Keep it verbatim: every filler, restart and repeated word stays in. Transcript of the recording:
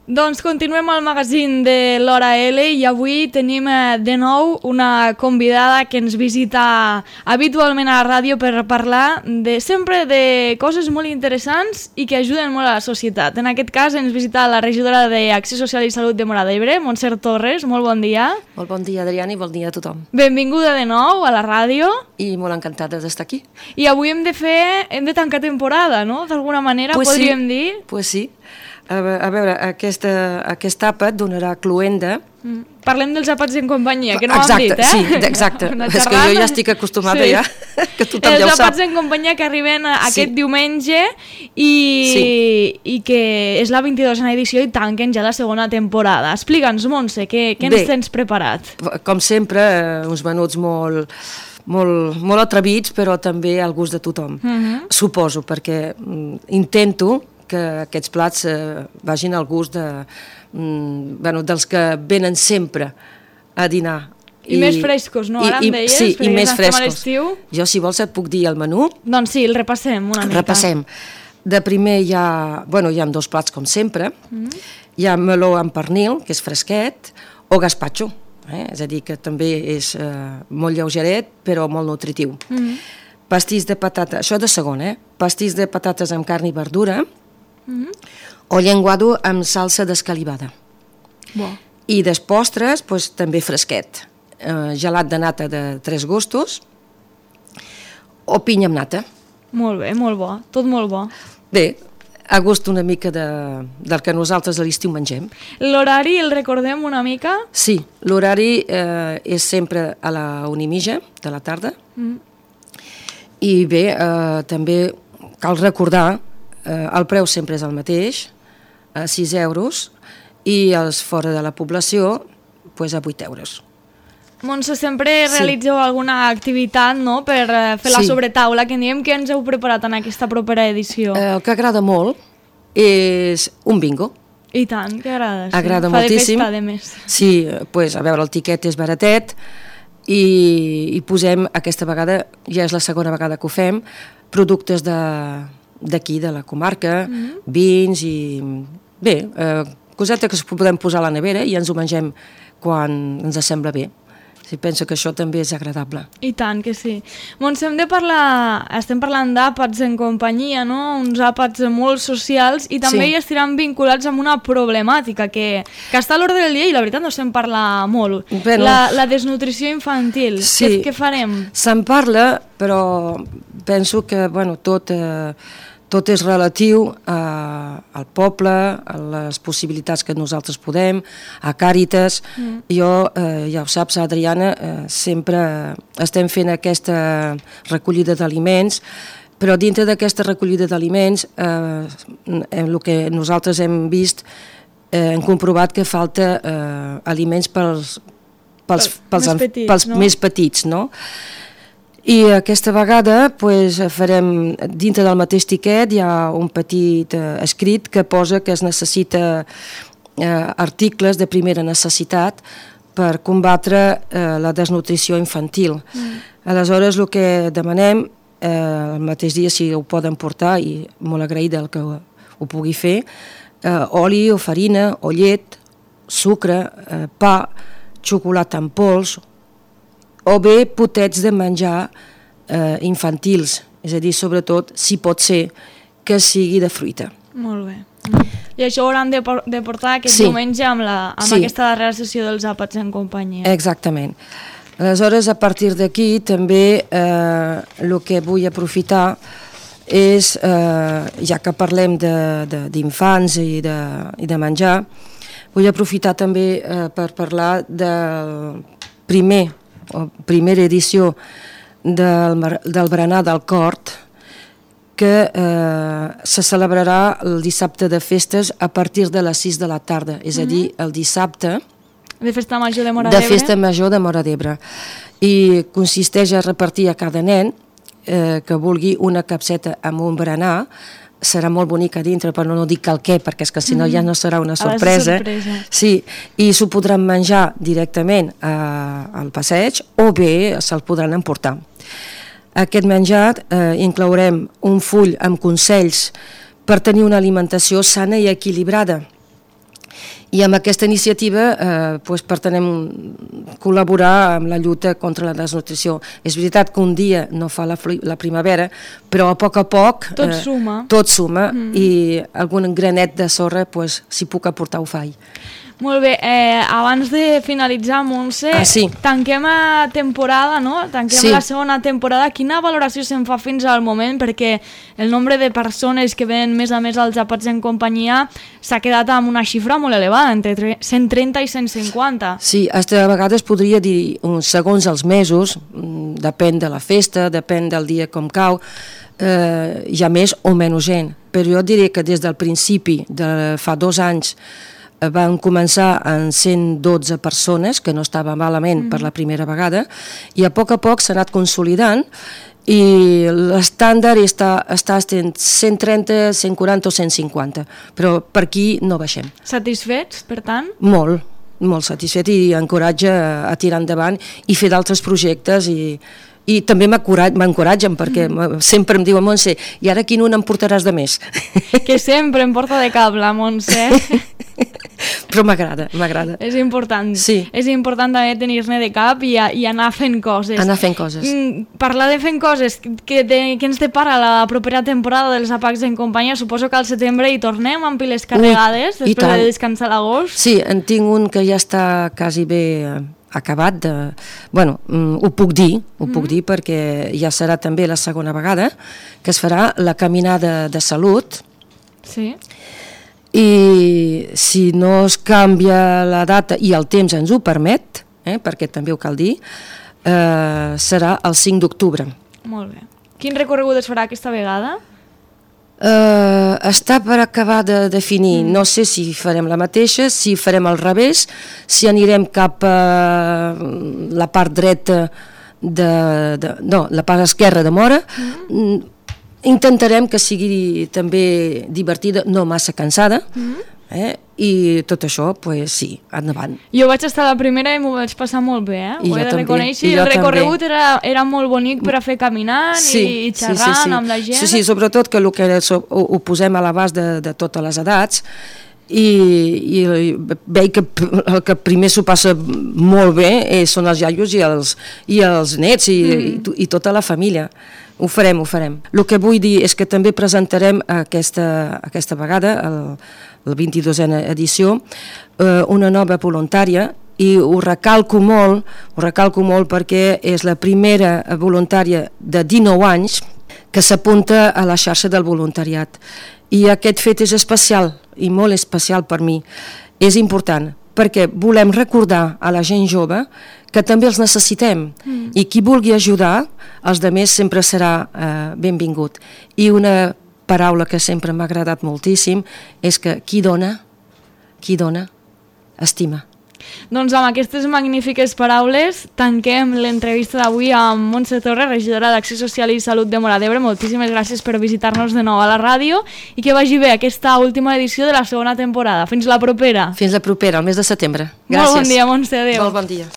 Doncs continuem al magazín de l'Hora L i avui tenim de nou una convidada que ens visita habitualment a la ràdio per parlar de, sempre de coses molt interessants i que ajuden molt a la societat. En aquest cas ens visita la regidora d'Acció Social i Salut de Móra d'Ebre, Montser Torres. Molt bon dia. Molt bon dia, Adriana, i bon dia a tothom. Benvinguda de nou a la ràdio. I molt encantada d'estar aquí. I avui hem de fer, hem de tancar temporada, no? D'alguna manera, pues podríem sí. dir. Pues sí. A veure, aquesta, aquest àpat donarà cluenda. Mm. Parlem dels àpats en companyia, que no exacte, ho hem dit, eh? Sí, exacte. És que jo ja estic acostumada sí. ja, que tothom els ja ho sap. Els àpats en companyia que arriben aquest sí. diumenge i, sí. i que és la vint-i-dosena edició i tanquen ja la segona temporada. Explica'ns, Montse, què, què ens tens preparat? Com sempre, uns menuts molt... Molt, molt atrevits, però també al gust de tothom. Uh-huh. Suposo, perquè mm, intento que aquests plats eh, vagin al gust de, mm, bueno, dels que venen sempre a dinar. I, I més frescos, no? Ara i, em deies, sí, i més frescos. Jo, si vols, et puc dir el menú. Doncs sí, el repassem una mica. Repassem. De primer hi ha, bueno, hi ha dos plats, com sempre. Uh-huh. Hi ha meló amb pernil, que és fresquet, o gazpacho. Eh? És a dir, que també és eh, molt lleugeret, però molt nutritiu. Mm-hmm. Pastís de patata, això de segon, eh? Pastís de patates amb carn i verdura, mm-hmm. o llenguado amb salsa d'escalivada. Bo. I de postres, doncs, també fresquet. Eh, gelat de nata de tres gustos, o pinya amb nata. Molt bé, molt bo, tot molt bo. Bé, a gust una mica de, del que nosaltres a l'estiu mengem. L'horari el recordem una mica? Sí, l'horari eh, és sempre a la una i mitja de la tarda. Mm. I bé, eh, també cal recordar, eh, el preu sempre és el mateix, a sis euros, i els fora de la població, pues, a vuit euros. Montse, sempre realitzeu sí. alguna activitat, no?, per fer la sí. sobretaula, que en diem. Què ens heu preparat en aquesta propera edició? Eh, el que agrada molt és un bingo. I tant, que agrada. Sí. Agrada Fa moltíssim. Fa de festa, a més. Sí, pues, a veure, el tiquet és baratet i, i posem, aquesta vegada, ja és la segona vegada que ho fem, productes d'aquí, de, de la comarca, mm-hmm. vins i... Bé, eh, coseta que podem posar a la nevera i ens ho mengem quan ens sembla bé. Sí, penso que això també és agradable. I tant que sí. Montse, hem de parlar, estem parlant d'àpats en companyia, no? Uns àpats molt socials i també sí. hi estiran vinculats amb una problemàtica que, que està a l'ordre del dia i la veritat no se'n parla molt. Bueno, la, la desnutrició infantil. Sí. Què, què farem? Se'n parla, però penso que bueno, tot... Eh, Tot és relatiu a, al poble, a les possibilitats que nosaltres podem, a Càritas. Mm. Jo, eh, ja ho saps, Adriana, eh, sempre estem fent aquesta recollida d'aliments, però dintre d'aquesta recollida d'aliments, eh, el que nosaltres hem vist, eh, hem comprovat que falta eh, aliments pels, pels, pels, més, petits, pels no? més petits, no? I aquesta vegada pues, farem, dintre del mateix tiquet hi ha un petit eh, escrit que posa que es necessita eh, articles de primera necessitat per combatre eh, la desnutrició infantil. Mm. Aleshores, el que demanem, eh, el mateix dia si ho poden portar, i molt agraïda el que ho, ho pugui fer, eh, oli o farina o llet, sucre, eh, pa, xocolata en pols, o bé potets de menjar eh, infantils, és a dir, sobretot, si pot ser, que sigui de fruita. Molt bé. I això ho hauran de, de portar aquest sí. diumenge amb, la, amb sí. aquesta darrera sessió dels àpats en companyia. Exactament. Aleshores, a partir d'aquí, també eh, el que vull aprofitar és, eh, ja que parlem d'infants i, de, i de menjar, vull aprofitar també eh, per parlar del primer o primera edició del, del berenar del Cort, que eh, se celebrarà el dissabte de festes a partir de les sis de la tarda, és a dir, el dissabte de Festa Major de Móra d'Ebre. De Festa Major de Móra d'Ebre. I consisteix a repartir a cada nen eh, que vulgui una capseta amb un berenar. Serà molt bonic a dintre, però no dic el què, perquè és que si no ja no serà una sorpresa. sorpresa. Sí, i s'ho podran menjar directament eh, al passeig o bé se'l podran emportar. Aquest menjar eh, inclourem un full amb consells per tenir una alimentació sana i equilibrada. I amb aquesta iniciativa eh, pues, pretenem col·laborar amb la lluita contra la desnutrició. És veritat que un dia no fa la, la primavera, però a poc a poc tot eh, suma, tot suma mm. i algun granet de sorra, pues, si puc aportar, ho faig. Molt bé, eh, abans de finalitzar, Montse, ah, sí. tanquem a temporada, no? Tanquem sí. la segona temporada. Quina valoració se'n fa fins al moment? Perquè el nombre de persones que ven més a més als àpats en companyia s'ha quedat amb una xifra molt elevada, entre cent trenta i cent cinquanta. Sí, a vegades podria dir, segons els mesos, depèn de la festa, depèn del dia com cau, eh, hi ha més o menys gent. Però jo diré que des del principi, de fa dos anys, van començar en cent dotze persones, que no estava malament mm. per la primera vegada, i a poc a poc s'ha anat consolidant i l'estàndard està, està en cent trenta, cent quaranta o cent cinquanta, però per aquí no baixem. Satisfets, per tant? Molt, molt satisfet i encoratja a tirar endavant i fer d'altres projectes i... I també m'encoratgen perquè mm. sempre em diuen, Montse, i ara quin un em portaràs de més? Que sempre em porta de cap la Montse. Però m'agrada, m'agrada. És important. Sí. És important també tenir-ne de cap i, a, i anar fent coses. Anar fent coses. Mm, parlar de fent coses, que, de, que ens depara la propera temporada dels Apacs en companyia, suposo que al setembre hi tornem amb piles carregades, Ui, després de descansar l'agost. Sí, en tinc un que ja està quasi bé acabat de... Bueno, ho puc dir, ho mm. puc dir perquè ja serà també la segona vegada que es farà la caminada de salut. Sí. I si no es canvia la data i el temps ens ho permet, eh, perquè també ho cal dir, eh, serà el cinc d'octubre. Molt bé. Quin recorregut es farà aquesta vegada? Uh, està per acabar de definir, mm. no sé si farem la mateixa, si farem al revés, si anirem cap a la part dreta de, de no, la part esquerra de Móra. Mm. Intentarem que sigui també divertida, no massa cansada, mm. eh? I tot això, pues sí, endavant. Jo vaig estar a la primera i m'ho vaig passar molt bé, eh? I ho he de també, reconèixer, i el recorregut era, era molt bonic per a fer caminant sí, i xerrant sí, sí, sí. amb la gent. Sí, sí, sobretot que el que ho, ho posem a l'abast de, de totes les edats i, i veig que el que primer s'ho passa molt bé eh, són els iaios i els, i els nets i, mm. i, i tota la família. Ho farem, ho farem. El que vull dir és que també presentarem aquesta, aquesta vegada, el, la vint-i-dosena edició, eh, una nova voluntària i ho recalco molt, ho recalco molt perquè és la primera voluntària de dinou anys que s'apunta a la xarxa del voluntariat. I aquest fet és especial i molt especial per mi. És important perquè volem recordar a la gent jove que també els necessitem mm. i qui vulgui ajudar, els altres sempre serà eh, benvingut. I una paraula que sempre m'ha agradat moltíssim és que qui dona, qui dona, estima. Doncs amb aquestes magnífiques paraules tanquem l'entrevista d'avui amb Montse Torres, regidora d'Acció Social i Salut de Móra d'Ebre. Moltíssimes gràcies per visitar-nos de nou a la ràdio i que vagi bé aquesta última edició de la segona temporada. Fins la propera. Fins la propera, el mes de setembre. Gràcies. Molt bon dia, Montse. Adéu. Molt bon dia.